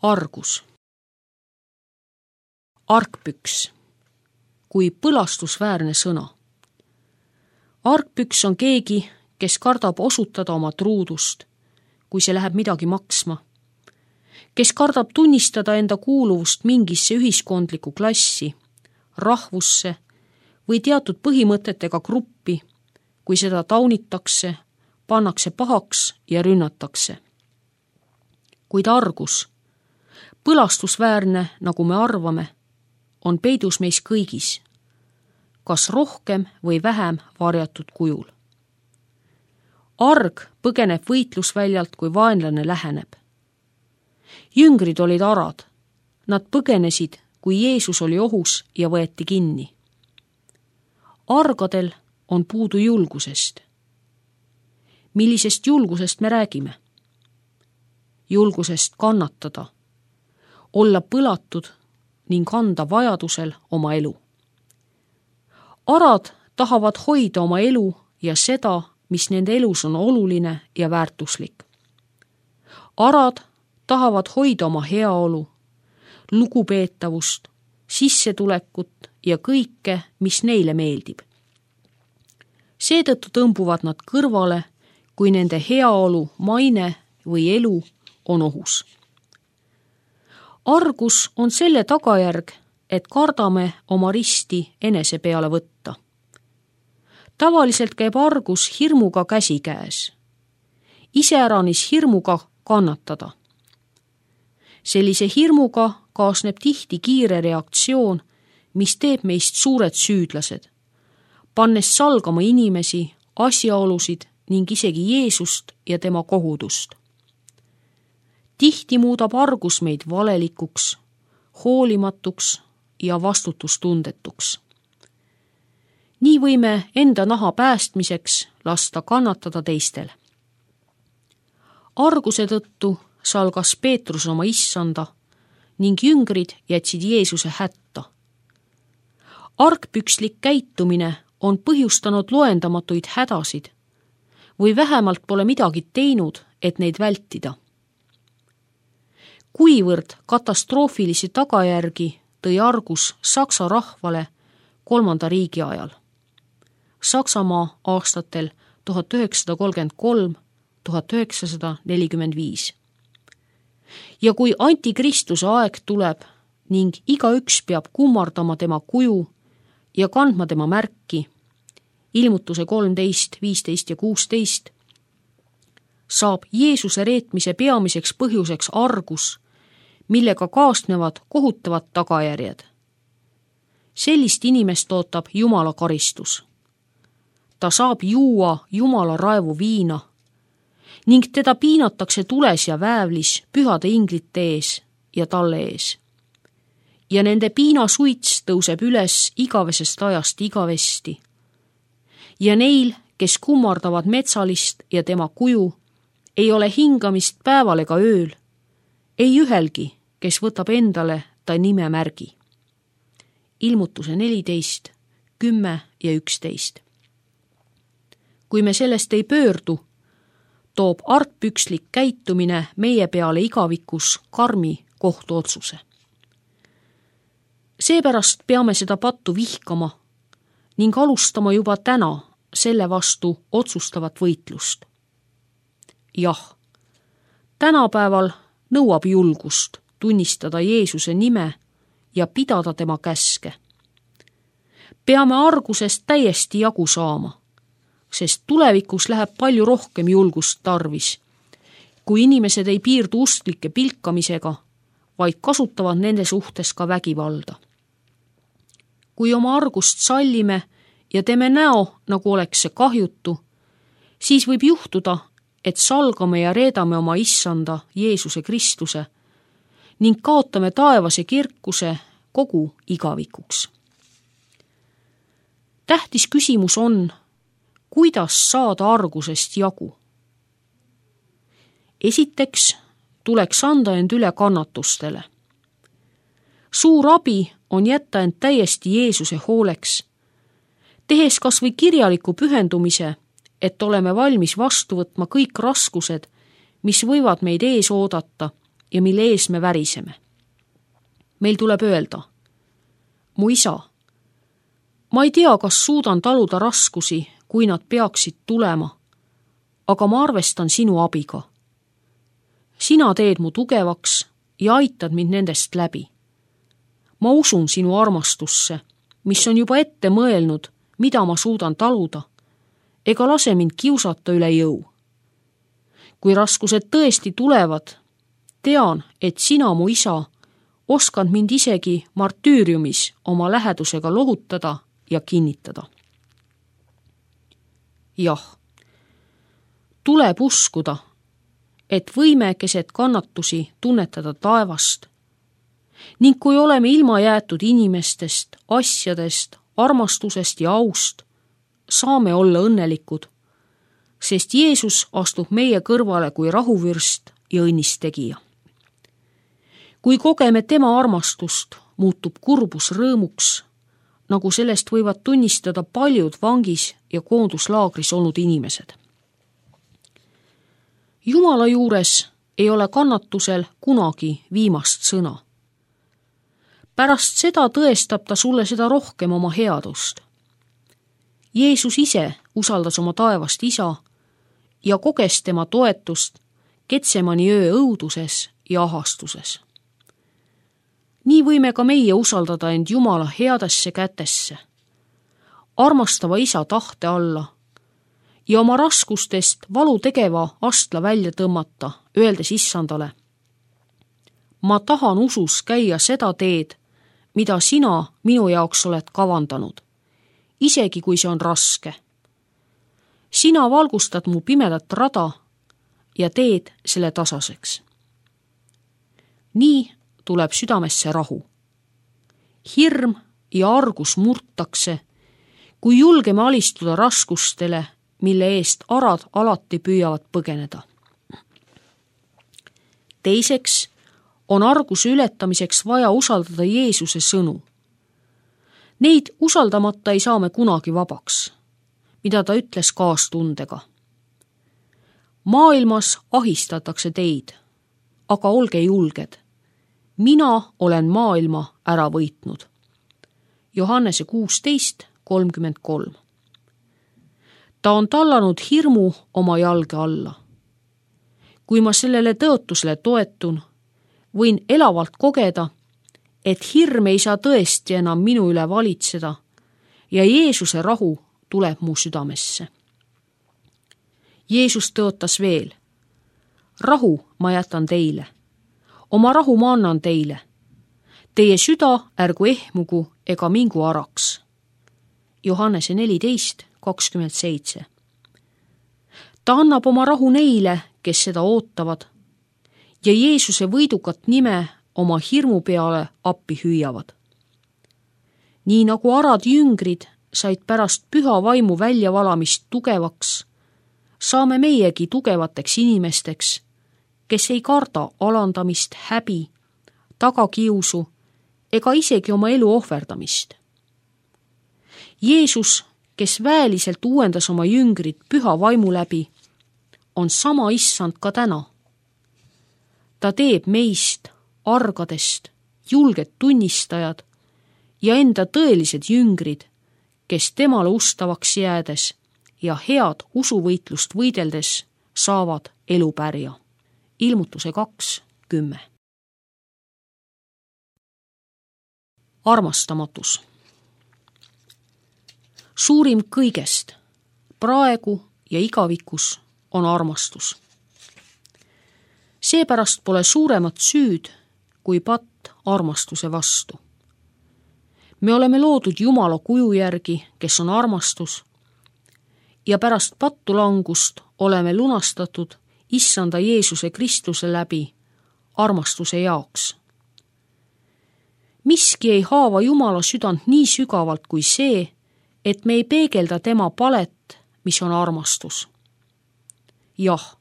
Argus. Argpüks kui põlastusväärne sõna. Argpüks on keegi, kes kardab osutada oma truudust, kui see läheb midagi maksma. Kes kardab tunnistada enda kuuluvust mingisse ühiskondlikku klassi, rahvusse või teatud põhimõtetega gruppi, kui seda taunitakse, pannakse pahaks ja rünnatakse. Kuid argus, põlastusväärne, nagu me arvame, on peidus meis kõigis, kas rohkem või vähem varjatud kujul. Arg põgeneb võitlusväljalt, kui vaenlane läheneb. Jüngrid olid arad, nad põgenesid, kui Jeesus oli ohus ja võeti kinni. Argadel on puudu julgusest. Millisest julgusest me räägime? Julgusest kannatada, olla põlatud ning anda vajadusel oma elu. Arad tahavad hoida oma elu ja seda, mis nende elus on oluline ja väärtuslik. Arad tahavad hoida oma heaolu, lugupeetavust, sissetulekut ja kõike, mis neile meeldib. Seetõttu tõmbuvad nad kõrvale, kui nende heaolu, maine või elu on ohus. Argus on selle tagajärg, et kardame oma risti enese peale võtta. Tavaliselt käib argus hirmuga käsikäes. Iseäranis hirmuga kannatada. Sellise hirmuga kaasneb tihti kiire reaktsioon, mis teeb meist suured süüdlased, pannes salgama inimesi, asjaolusid ning isegi Jeesust ja tema kohudust. Tihti muudab argus meid valelikuks, hoolimatuks ja vastutustundetuks. Nii võime enda naha päästmiseks lasta kannatada teistel. Arguse tõttu salgas Peetrus oma issanda ning jüngrid jätsid Jeesuse hätta. Argpükslik käitumine on põhjustanud loendamatuid hädasid või vähemalt pole midagi teinud, et neid vältida. Kuivõrd katastroofilisi tagajärgi tõi argus Saksa rahvale 3. riigi ajal. Saksamaa aastatel 1933–1945. Ja kui antikristuse aeg tuleb ning igaüks peab kummardama tema kuju ja kandma tema märki, Ilmutuse 13, 15 ja 16, saab Jeesuse reetmise peamiseks põhjuseks argus, millega kaasnevad kohutavad tagajärjed. Sellist inimest ootab Jumala karistus. Ta saab juua Jumala raevu viina ning teda piinatakse tules ja väävlis pühade inglite ees ja talle ees. Ja nende piinasuits tõuseb üles igavesest ajast igavesti. Ja neil, kes kummardavad metsalist ja tema kuju, ei ole hingamist päeval ega ööl, ei ühelgi, kes võtab endale ta nimemärgi. Ilmutuse 14, 10 ja 11. Kui me sellest ei pöördu, toob argpükslik käitumine meie peale igavikus karmi kohtuotsuse. Seepärast peame seda pattu vihkama ning alustama juba täna selle vastu otsustavat võitlust. Jah, tänapäeval nõuab julgust tunnistada Jeesuse nime ja pidada tema käske. Peame argusest täiesti jagu saama, sest tulevikus läheb palju rohkem julgust tarvis, kui inimesed ei piirdu usklike pilkamisega, vaid kasutavad nende suhtes ka vägivalda. Kui oma argust sallime ja teeme näo, nagu oleks see kahjutu, siis võib juhtuda, et salgame ja reedame oma issanda Jeesuse Kristuse ning kaotame taevase kirkuse kogu igavikuks. Tähtis küsimus on, kuidas saada argusest jagu. Esiteks tuleks anda end üle kannatustele. Suur abi on jätta end täiesti Jeesuse hooleks, tehes kas või kirjaliku pühendumise, et oleme valmis vastu võtma kõik raskused, mis võivad meid ees oodata, ja mille ees me väriseme. Meil tuleb öelda, mu isa, ma ei tea, kas suudan taluda raskusi, kui nad peaksid tulema, aga ma arvestan sinu abiga. Sina teed mu tugevaks ja aitad mind nendest läbi. Ma usun sinu armastusse, mis on juba ette mõelnud, mida ma suudan taluda, ega lase mind kiusata üle jõu. Kui raskused tõesti tulevad, tean, et sina, mu isa, oskad mind isegi martüüriumis oma lähedusega lohutada ja kinnitada. Jah, tuleb uskuda, et võime keset kannatusi tunnetada taevast ning kui oleme ilma jäetud inimestest, asjadest, armastusest ja aust, saame olla õnnelikud, sest Jeesus astub meie kõrvale kui rahuvürst ja õnnistegija. Kui kogeme tema armastust, muutub kurbus rõõmuks, nagu sellest võivad tunnistada paljud vangis ja koonduslaagris olnud inimesed. Jumala juures ei ole kannatusel kunagi viimast sõna. Pärast seda tõestab ta sulle seda rohkem oma headust. Jeesus ise usaldas oma taevast isa ja koges tema toetust Getsemani öö õuduses ja ahastuses. Nii võime ka meie usaldada end Jumala headesse kätesse, armastava isa tahte alla ja oma raskustest valu tegeva astla välja tõmmata, öeldes issandale, ma tahan usus käia seda teed, mida sina minu jaoks oled kavandanud, isegi kui see on raske. Sina valgustad mu pimedat rada ja teed selle tasaseks. Nii tuleb südamesse rahu. Hirm ja argus murtakse, kui julgeme alistuda raskustele, mille eest arad alati püüavad põgeneda. Teiseks on arguse ületamiseks vaja usaldada Jeesuse sõnu. Neid usaldamata ei saa me kunagi vabaks, mida ta ütles kaastundega. Maailmas ahistatakse teid, aga olge julged. Mina olen maailma ära võitnud. Johannese 16:33. Ta on tallanud hirmu oma jalge alla. Kui ma sellele tõotusele toetun, võin elavalt kogeda, et hirm ei saa tõesti enam minu üle valitseda ja Jeesuse rahu tuleb mu südamesse. Jeesus tõotas veel, rahu ma jätan teile, oma rahu ma annan teile. Teie süda ärgu ehmugu ega mingu araks. Johannese 14:27. Ta annab oma rahu neile, kes seda ootavad ja Jeesuse võidukat nime oma hirmu peale appi hüüavad. Nii nagu arad jüngrid said pärast püha vaimu väljavalamist tugevaks, saame meiegi tugevateks inimesteks, kes ei karda alandamist, häbi, tagakiusu ega isegi oma elu ohverdamist. Jeesus, kes väeliselt uuendas oma jüngrid püha vaimu läbi, on sama issand ka täna. Ta teeb meist, argadest, julged tunnistajad ja enda tõelised jüngrid, kes temale ustavaks jäädes ja head usuvõitlust võideldes saavad elupärja. Ilmutuse 2:10. Armastamatus. Suurim kõigest, praegu ja igavikus, on armastus. Seepärast pole suuremat süüd kui patt armastuse vastu. Me oleme loodud Jumala kuju järgi, kes on armastus, ja pärast pattu langust oleme lunastatud issanda Jeesuse Kristuse läbi armastuse jaoks. Miski ei haava Jumala südant nii sügavalt kui see, et me ei peegelda tema palet, mis on armastus. Jah,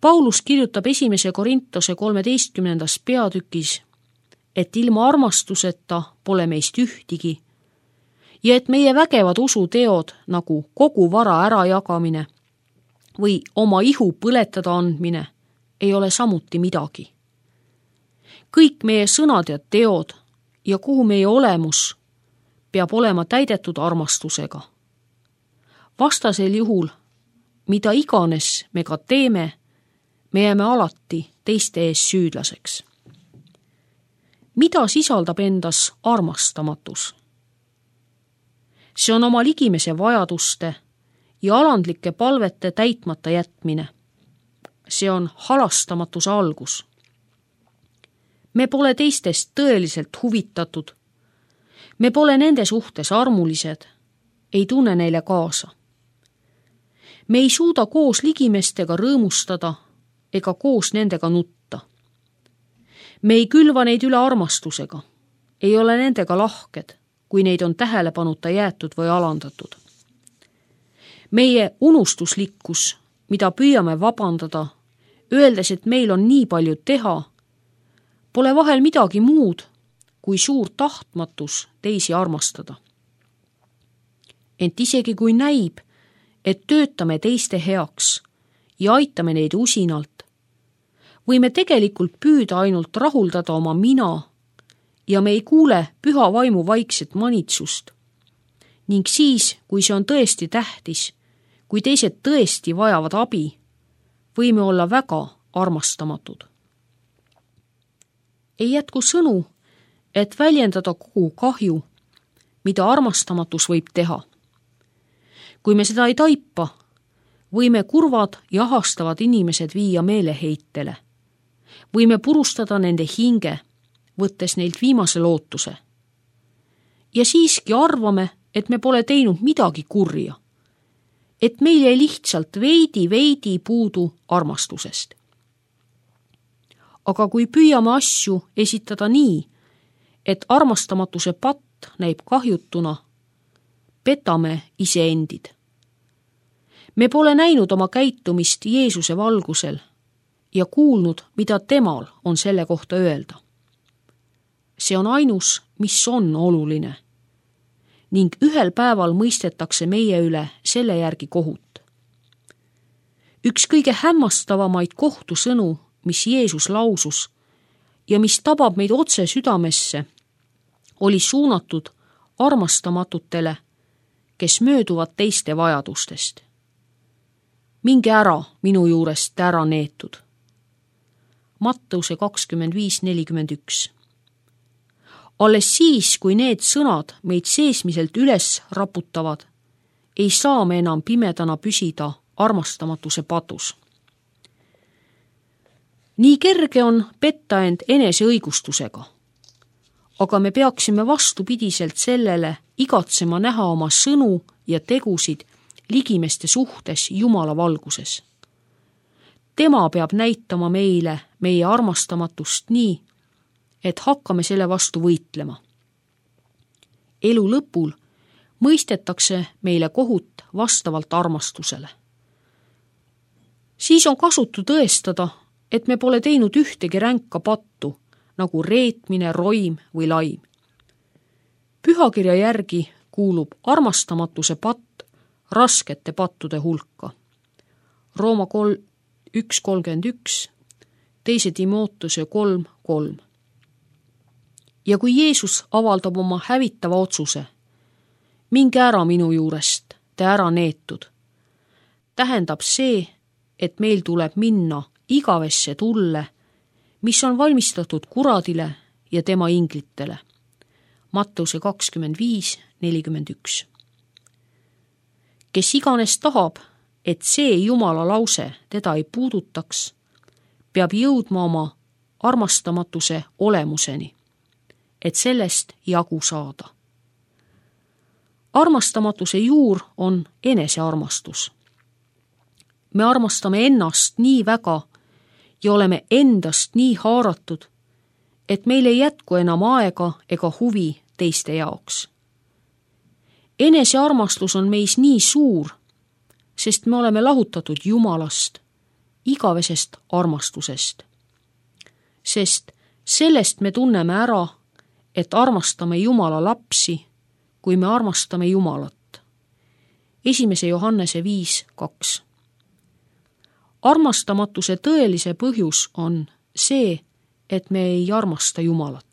Paulus kirjutab 1. Korintuse 13. peatükis, et ilma armastuseta pole meist ühtigi ja et meie vägevad usuteod nagu kogu vara ärajagamine või oma ihu põletada andmine ei ole samuti midagi. kõik meie sõnad ja teod ja kogu meie olemus peab olema täidetud armastusega. Vastasel juhul, mida iganes me ka teeme, me jääme alati teiste ees süüdlaseks. Mida sisaldab endas armastamatus? See on oma ligimese vajaduste ja alandlike palvete täitmata jätmine. See on halastamatuse algus. Me pole teistest tõeliselt huvitatud. Me pole nende suhtes armulised, ei tunne neile kaasa. Me ei suuda koos ligimestega rõõmustada ega koos nendega nutta. Me ei külva neid üle armastusega, ei ole nendega lahked, kui neid on tähelepanuta jäetud või alandatud. Meie unustuslikkus, mida püüame vabandada, öeldes, et meil on nii palju teha, pole vahel midagi muud kui suur tahtmatus teisi armastada. Ent isegi kui näib, et töötame teiste heaks ja aitame neid usinalt, võime tegelikult püüda ainult rahuldada oma mina ja me ei kuule püha vaimu vaikset manitsust. Ning siis, kui see on tõesti tähtis, kui teised tõesti vajavad abi, võime olla väga armastamatud. Ei jätku sõnu, et väljendada kogu kahju, mida armastamatus võib teha. Kui me seda ei taipa, võime kurvad ja ahastavad inimesed viia meeleheitele. Võime purustada nende hinge, võttes neilt viimase lootuse. Ja siiski arvame, et me pole teinud midagi kurja. Et meil jäi lihtsalt veidi puudu armastusest. Aga kui püüame asju esitada nii, et armastamatuse patt näib kahjutuna, petame iseendid. Me pole näinud oma käitumist Jeesuse valgusel ja kuulnud, mida temal on selle kohta öelda. See on ainus, mis on oluline. Ning ühel päeval mõistetakse meie üle selle järgi kohut. Üks kõige hämmastavamaid kohtusõnu, mis Jeesus lausus ja mis tabab meid otse südamesse, oli suunatud armastamatutele, kes mööduvad teiste vajadustest. Minge ära minu juurest ära neetud. Matteuse 25:41. Alles siis, kui need sõnad meid seesmiselt üles raputavad, ei saa me enam pimedana püsida armastamatuse patus. Nii kerge on petta end enese õigustusega, aga me peaksime vastupidiselt sellele igatsema näha oma sõnu ja tegusid ligimeste suhtes Jumala valguses. Tema peab näitama meile meie armastamatust nii, et hakkame selle vastu võitlema. Elu lõpul mõistetakse meile kohut vastavalt armastusele. Siis on kasutu tõestada, et me pole teinud ühtegi ränka pattu, nagu reetmine, roim või laim. Pühakirja järgi kuulub armastamatuse patt raskete pattude hulka. Rooma 1:31, 2 Timoteuse 3:3. Ja kui Jeesus avaldab oma hävitava otsuse, minge ära minu juurest, te ära neetud, tähendab see, et meil tuleb minna igavesse tulle, mis on valmistatud kuradile ja tema inglitele. Matteuse 25:41. Kes iganes tahab, et see Jumala lause teda ei puudutaks, peab jõudma oma armastamatuse olemuseni, et sellest jagu saada. Armastamatuse juur on enesearmastus. Me armastame ennast nii väga ja oleme endast nii haaratud, et meil ei jätku enam aega ega huvi teiste jaoks. Enesearmastus on meis nii suur, sest me oleme lahutatud Jumalast, igavesest armastusest. Sest sellest me tunneme ära, et armastame Jumala lapsi, kui me armastame Jumalat. 1. Johannese 5:2. Armastamatuse tõelise põhjus on see, et me ei armasta Jumalat.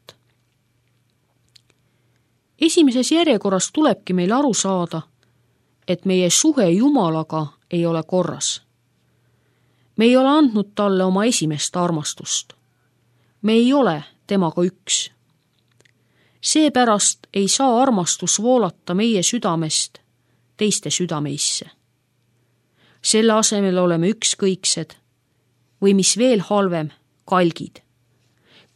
Esimeses järjekorras tulebki meil aru saada, et meie suhe Jumalaga ei ole korras. Me ei ole andnud talle oma esimest armastust. Me ei ole temaga üks. Seepärast ei saa armastus voolata meie südamest teiste südameisse. Selle asemel oleme ükskõiksed või mis veel halvem, kalgid.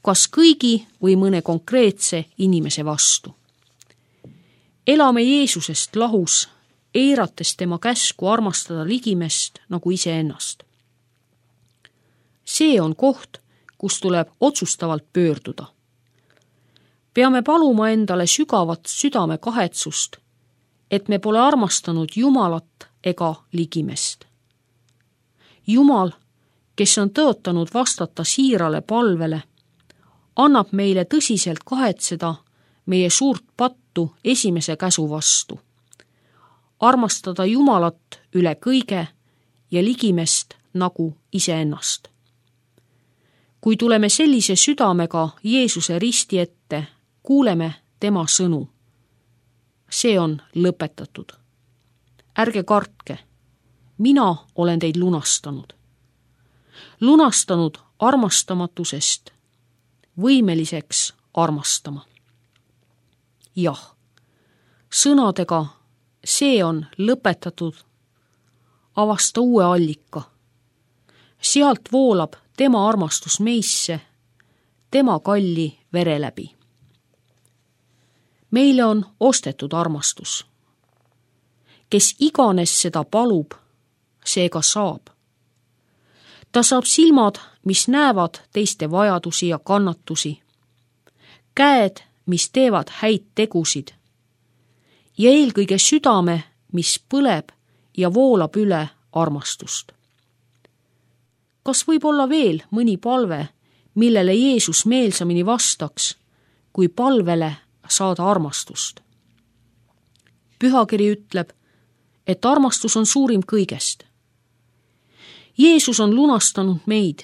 Kas kõigi või mõne konkreetse inimese vastu. Elame Jeesusest lahus, eirates tema käsku armastada ligimest nagu iseennast. See on koht, kus tuleb otsustavalt pöörduda. Peame paluma endale sügavat südame kahetsust, et me pole armastanud Jumalat ega ligimest. Jumal, kes on tõotanud vastata siirale palvele, annab meile tõsiselt kahetseda meie suurt pattu esimese käsu vastu. Armastada Jumalat üle kõige ja ligimest nagu iseennast. Kui tuleme sellise südamega Jeesuse risti ette, kuuleme tema sõnu. See on lõpetatud. Ärge kartke, mina olen teid lunastanud. Lunastanud armastamatusest, võimeliseks armastama. Jah, sõnadega see on lõpetatud, avasta uue allika. Sealt voolab tema armastus meisse, tema kalli vere läbi. Meile on ostetud armastus. Kes iganes seda palub, see ka saab. Ta saab silmad, mis näevad teiste vajadusi ja kannatusi, käed, mis teevad häid tegusid ja eelkõige südame, mis põleb ja voolab üle armastust. Kas võib olla veel mõni palve, millele Jeesus meelsamini vastaks, kui palvele saada armastust? Pühakiri ütleb, et armastus on suurim kõigest. Jeesus on lunastanud meid,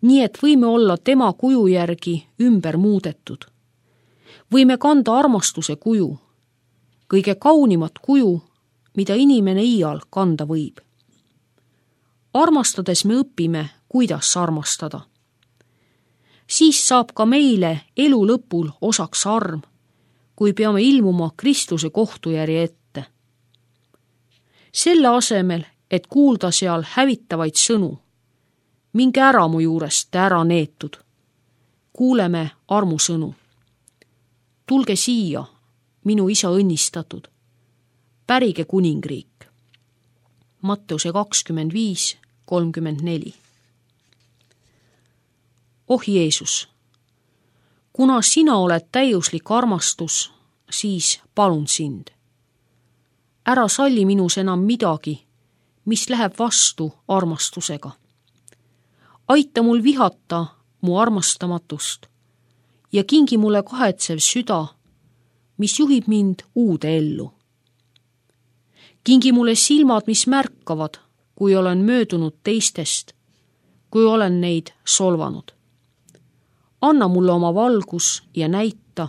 nii et võime olla tema kuju järgi ümber muudetud. Võime kanda armastuse kuju, kõige kaunimat kuju, mida inimene iial kanda võib. Armastades me õpime, kuidas armastada. Siis saab ka meile elu lõpul osaks arm, kui peame ilmuma Kristuse kohtujärje ette. Selle asemel, et kuulda seal hävitavaid sõnu, minge ära mu juurest ära neetud. Kuuleme armusõnu. Tulge siia, minu isa õnnistatud. Pärige kuningriik. Matteuse 25:34. Oh Jeesus, kuna sina oled täiuslik armastus, siis palun sind. Ära salli minus enam midagi, mis läheb vastu armastusega. Aita mul vihata mu armastamatust ja kingi mulle kahetsev süda, mis juhib mind uude ellu. Kingi mulle silmad, mis märkavad, kui olen möödunud teistest, kui olen neid solvanud. Anna mulle oma valgus ja näita,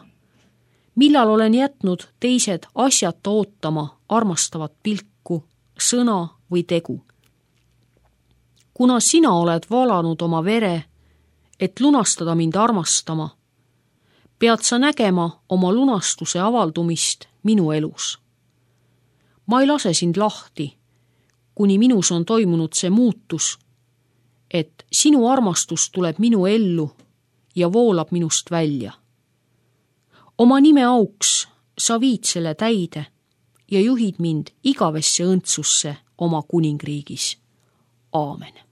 millal olen jätnud teised asjata ootama armastavat pilku, sõna või tegu. Kuna sina oled valanud oma vere, et lunastada mind armastama, pead sa nägema oma lunastuse avaldumist minu elus. Ma ei lase sind lahti, kuni minus on toimunud see muutus, et sinu armastus tuleb minu ellu ja voolab minust välja. Oma nime auks sa viid selle täide ja juhid mind igavesse õndsusse oma kuningriigis. Aamen.